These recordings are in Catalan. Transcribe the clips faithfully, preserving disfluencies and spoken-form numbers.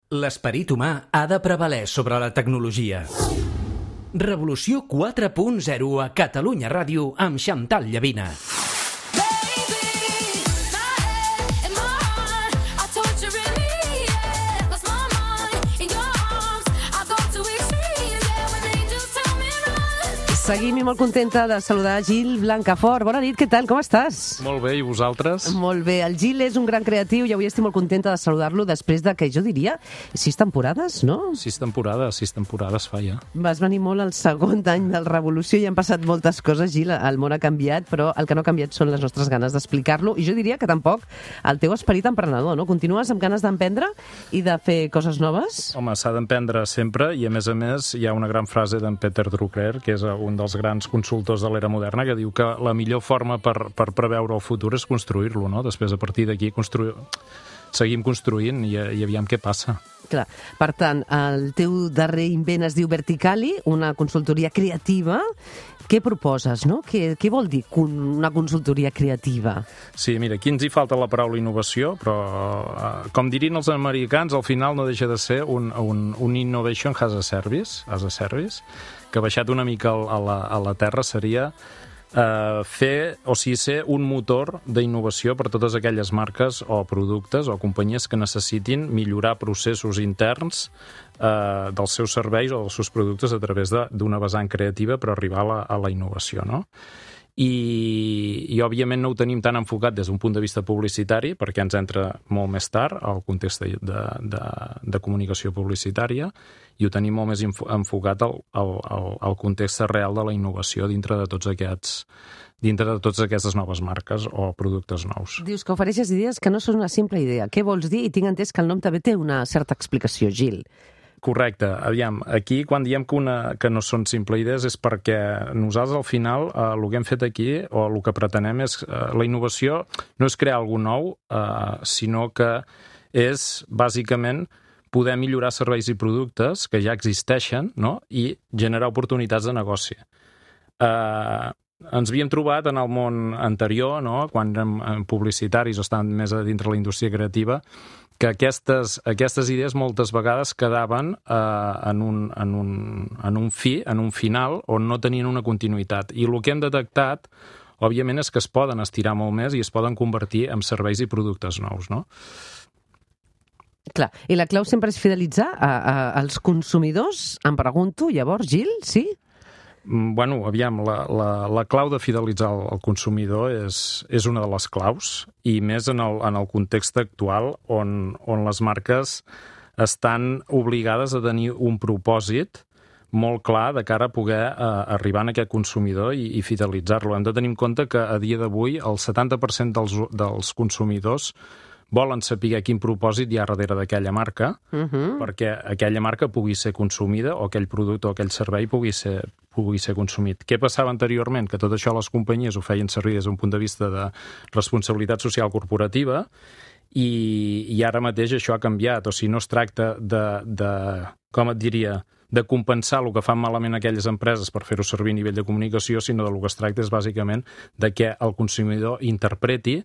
L'esperit humà ha de prevaler sobre la tecnologia. Revolució quatre punt zero a Catalunya Ràdio amb Xantal Llavina. Seguim i molt contenta de saludar Gil Blancafort. Bona nit, què tal? Com estàs? Molt bé, i vosaltres? Molt bé. El Gil és un gran creatiu i avui estic molt contenta de saludar-lo després de, que jo diria, sis temporades, no? Sis temporades, sis temporades fa ja. Vas venir molt al segon any del Revolució i han passat moltes coses, Gil. El món ha canviat, però el que no ha canviat són les nostres ganes d'explicar-lo i jo diria que tampoc el teu esperit emprenedor, no? Continues amb ganes d'emprendre i de fer coses noves? Home, s'ha d'emprendre sempre i, a més a més, hi ha una gran frase d'en Peter Drucker, que és un dels grans consultors de l'era moderna, que diu que la millor forma per, per preveure el futur és construir-lo, no? Després, a partir d'aquí, construir... seguim construint i, i aviam què passa. Clar. Per tant, el teu darrer invent es diu Verticali, una consultoria creativa. Què proposes, no? Què, què vol dir una consultoria creativa? Sí, mira, aquí ens hi falta la paraula innovació, però, eh, com dirien els americans, al final no deixa de ser un, un, un innovation as a service, as a service, que baixat una mica a la, a la terra seria eh, fer, o sigui, ser un motor d'innovació per totes aquelles marques o productes o companyies que necessitin millorar processos interns eh, dels seus serveis o dels seus productes a través d'una vessant creativa per arribar a la, a la innovació, no? I, i òbviament no ho tenim tan enfocat des d'un punt de vista publicitari, perquè ens entra molt més tard al context de, de, de comunicació publicitària, i ho tenim molt més enfocat al, al, al context real de la innovació dintre de tots aquests dintre de totes aquestes noves marques o productes nous. Dius que ofereixes idees que no són una simple idea. Què vols dir? I tinc entès que el nom també té una certa explicació, Gil. Correcte. Aviam, aquí quan diem que, una, que no són simple idees és perquè nosaltres al final eh, el que hem fet aquí o el que pretenem és eh, la innovació no és crear alguna nou, eh, sinó que és bàsicament poder millorar serveis i productes que ja existeixen, no? I generar oportunitats de negoci. Eh, ens havíem trobat en el món anterior, no? Quan érem publicitaris o estàvem més a dintre la indústria creativa, que aquestes, aquestes idees moltes vegades quedaven eh, en, un, en, un, en un fi, en un final, on no tenien una continuïtat. I el que hem detectat, òbviament, és que es poden estirar molt més i es poden convertir en serveis i productes nous, no? Clar, i la clau sempre és fidelitzar a, a, als consumidors, em pregunto, llavors, Gil, sí? Bueno, aviam, la, la, la clau de fidelitzar el, el consumidor és, és una de les claus, i més en el, en el context actual on, on les marques estan obligades a tenir un propòsit molt clar de cara a poder eh, arribar a aquest consumidor i, i fidelitzar-lo. Hem de tenir en compte que a dia d'avui el setanta per cent dels, dels consumidors volen saber quin propòsit hi ha darrere d'aquella marca, uh-huh. perquè aquella marca pugui ser consumida o aquell producte o aquell servei pugui ser, pugui ser consumit. Què passava anteriorment? Que tot això les companyies ho feien servir des d'un punt de vista de responsabilitat social corporativa i, i ara mateix això ha canviat. O sigui, no es tracta de, de com et diria, de compensar el que fan malament aquelles empreses per fer-ho servir a nivell de comunicació, sinó del que es tracta és bàsicament de que el consumidor interpreti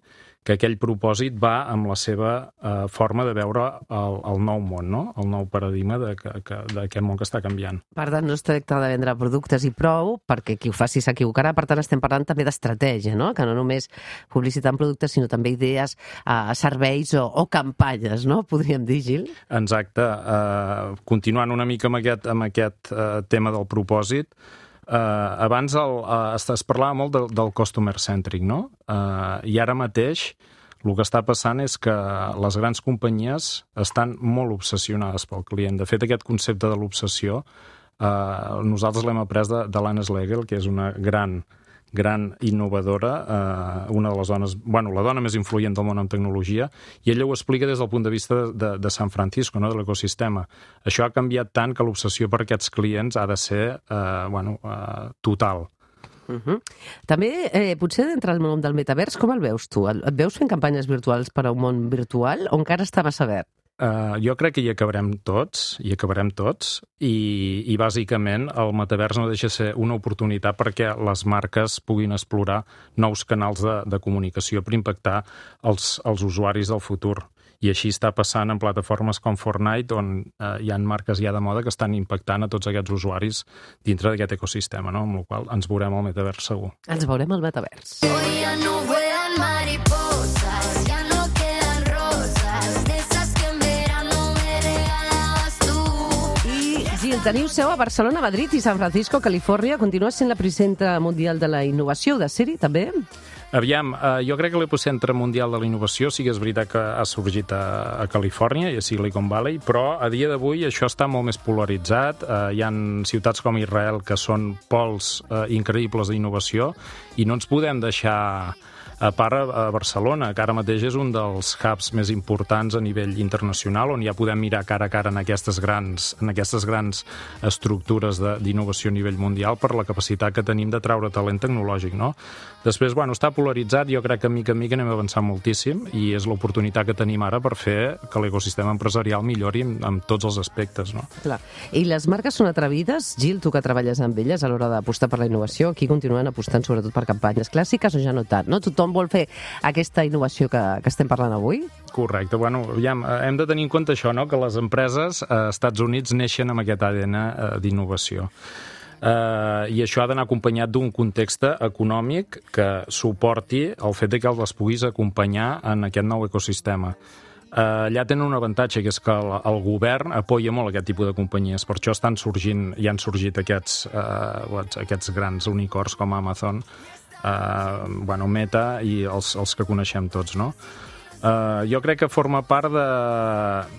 que aquell propòsit va amb la seva eh, forma de veure el, el nou món, no? El nou paradigma d'aquest món que està canviant. Per tant, no es tracta de vendre productes i prou, perquè qui ho faci s'equivocarà. Per tant, estem parlant també d'estratègia, no? Que no només publicitar productes, sinó també idees, eh, serveis o, o campanyes, no? Podríem dir, Gil? Exacte. Eh, continuant una mica amb aquest, amb aquest eh, tema del propòsit, Uh, abans el, uh, es, es parlava molt del, del customer centric, no? Uh, I ara mateix el que està passant és que les grans companyies estan molt obsessionades pel client. De fet, aquest concepte de l'obsessió uh, nosaltres l'hem après de, de l'Anne Schlegel, que és una gran gran innovadora, eh, una de les dones, bueno, la dona més influent del món en tecnologia, i ella ho explica des del punt de vista de, de San Francisco, no? De l'ecosistema. Això ha canviat tant que l'obsessió per aquests clients ha de ser eh, bueno, eh, total. Uh-huh. També, eh, potser dintre del món del metavers, com el veus tu? Et veus fent campanyes virtuals per a un món virtual o encara està massa verd? Uh, jo crec que hi acabarem tots, hi acabarem tots, i, i bàsicament el metavers no deixa ser una oportunitat perquè les marques puguin explorar nous canals de, de comunicació per impactar els, els usuaris del futur. I així està passant en plataformes com Fortnite, on eh, hi ha marques ja de moda que estan impactant a tots aquests usuaris dintre d'aquest ecosistema, no? Amb la qual cosa ens veurem al metavers segur. Ens veurem al metavers. Hoy ya no vuelan mariposas, ya no quedan rosas, de esas que en verano me regalabas tú. I, Gil, teniu seu a Barcelona, Madrid i San Francisco, Califòrnia. Continua sent la presidenta mundial de la innovació, de ser-hi, també? Aviam, eh, jo crec que l'epicentre mundial de la innovació sí que és veritat que ha sorgit a, a Califòrnia i a Silicon Valley, però a dia d'avui això està molt més polaritzat. Eh, hi ha ciutats com Israel que són pols eh, increïbles d'innovació i no ens podem deixar a part a Barcelona, que ara mateix és un dels hubs més importants a nivell internacional, on ja podem mirar cara a cara en aquestes grans, en aquestes grans estructures d'innovació a nivell mundial per la capacitat que tenim de traure talent tecnològic, no? Després, bueno, està polaritzat, jo crec que mica en mica anem avançant moltíssim i és l'oportunitat que tenim ara per fer que l'ecosistema empresarial millori en, en tots els aspectes, no? Clar. I les marques són atrevides? Gil, tu que treballes amb elles a l'hora d'apostar per la innovació, aquí continuen apostant sobretot per campanyes clàssiques o ja no tant, no? Tothom vol fer aquesta innovació que, que estem parlant avui? Correcte. Bueno, aviam, hem de tenir en compte això, no? Que les empreses als Estats Units neixen amb aquest A D N d'innovació. Uh, I això ha d'anar acompanyat d'un context econòmic que suporti el fet de que les puguis acompanyar en aquest nou ecosistema. Uh, allà tenen un avantatge, que és que el, el govern apoya molt aquest tipus de companyies. Per això estan sorgint, ja han sorgit aquests, uh, aquests grans unicorns com Amazon, uh, bueno, Meta i els, els que coneixem tots, no? Uh, jo crec que forma part de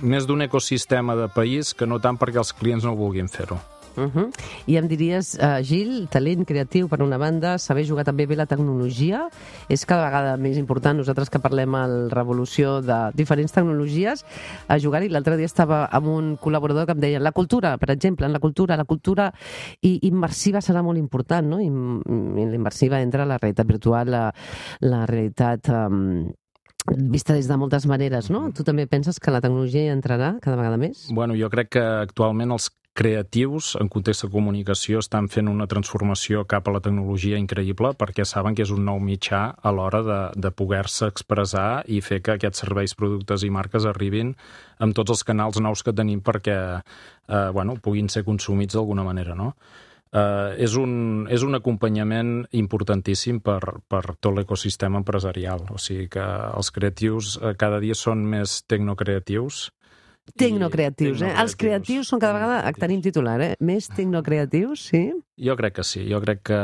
més d'un ecosistema de país que no tant perquè els clients no vulguin fer-ho. Uh -huh. I em diries, uh, Gil, talent creatiu per una banda, saber jugar també bé la tecnologia, és cada vegada més important. Nosaltres que parlem a la revolució de diferents tecnologies, a jugar-hi. L'altre dia estava amb un col·laborador que em deia la cultura, per exemple, en la cultura, la cultura i immersiva serà molt important, no? I, i l'immersiva entre la realitat virtual, la, la realitat um, vista des de moltes maneres, no? Tu també penses que la tecnologia hi entrarà cada vegada més? Bueno, jo crec que actualment els creatius en context de comunicació estan fent una transformació cap a la tecnologia increïble perquè saben que és un nou mitjà a l'hora de, de poder-se expressar i fer que aquests serveis, productes i marques arribin amb tots els canals nous que tenim perquè eh, bueno, puguin ser consumits d'alguna manera, no? Uh, és, un, és un acompanyament importantíssim per, per tot l'ecosistema empresarial. O sigui que els creatius uh, cada dia són més tecnocreatius. Tecnocreatius, eh? Els creatius són cada vegada, tenim titular, eh? Més tecnocreatius, sí? Jo crec que sí, jo crec que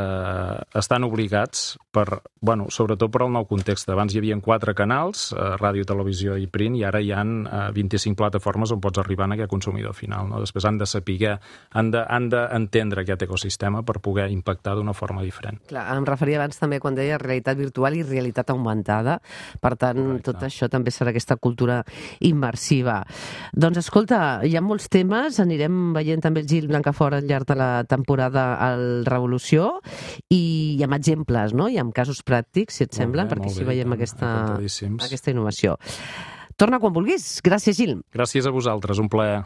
estan obligats per, bueno, sobretot per al nou context. Abans hi havia quatre canals, eh, ràdio, televisió i print, i ara hi ha eh, vint-i-cinc plataformes on pots arribar a aquest consumidor final, no? Després han de saber, han de, han d'entendre aquest ecosistema per poder impactar d'una forma diferent. Clar, em referia abans també quan deia realitat virtual i realitat augmentada, per tant, correcte, tot això també serà aquesta cultura immersiva. Doncs escolta, hi ha molts temes, anirem veient també el Gil Blancafort al llarg de la temporada al Revolució i amb exemples, no? I amb casos pràctics, si et sembla, perquè així veiem aquesta, aquesta innovació. Torna quan vulguis. Gràcies, Gil. Gràcies a vosaltres, un plaer.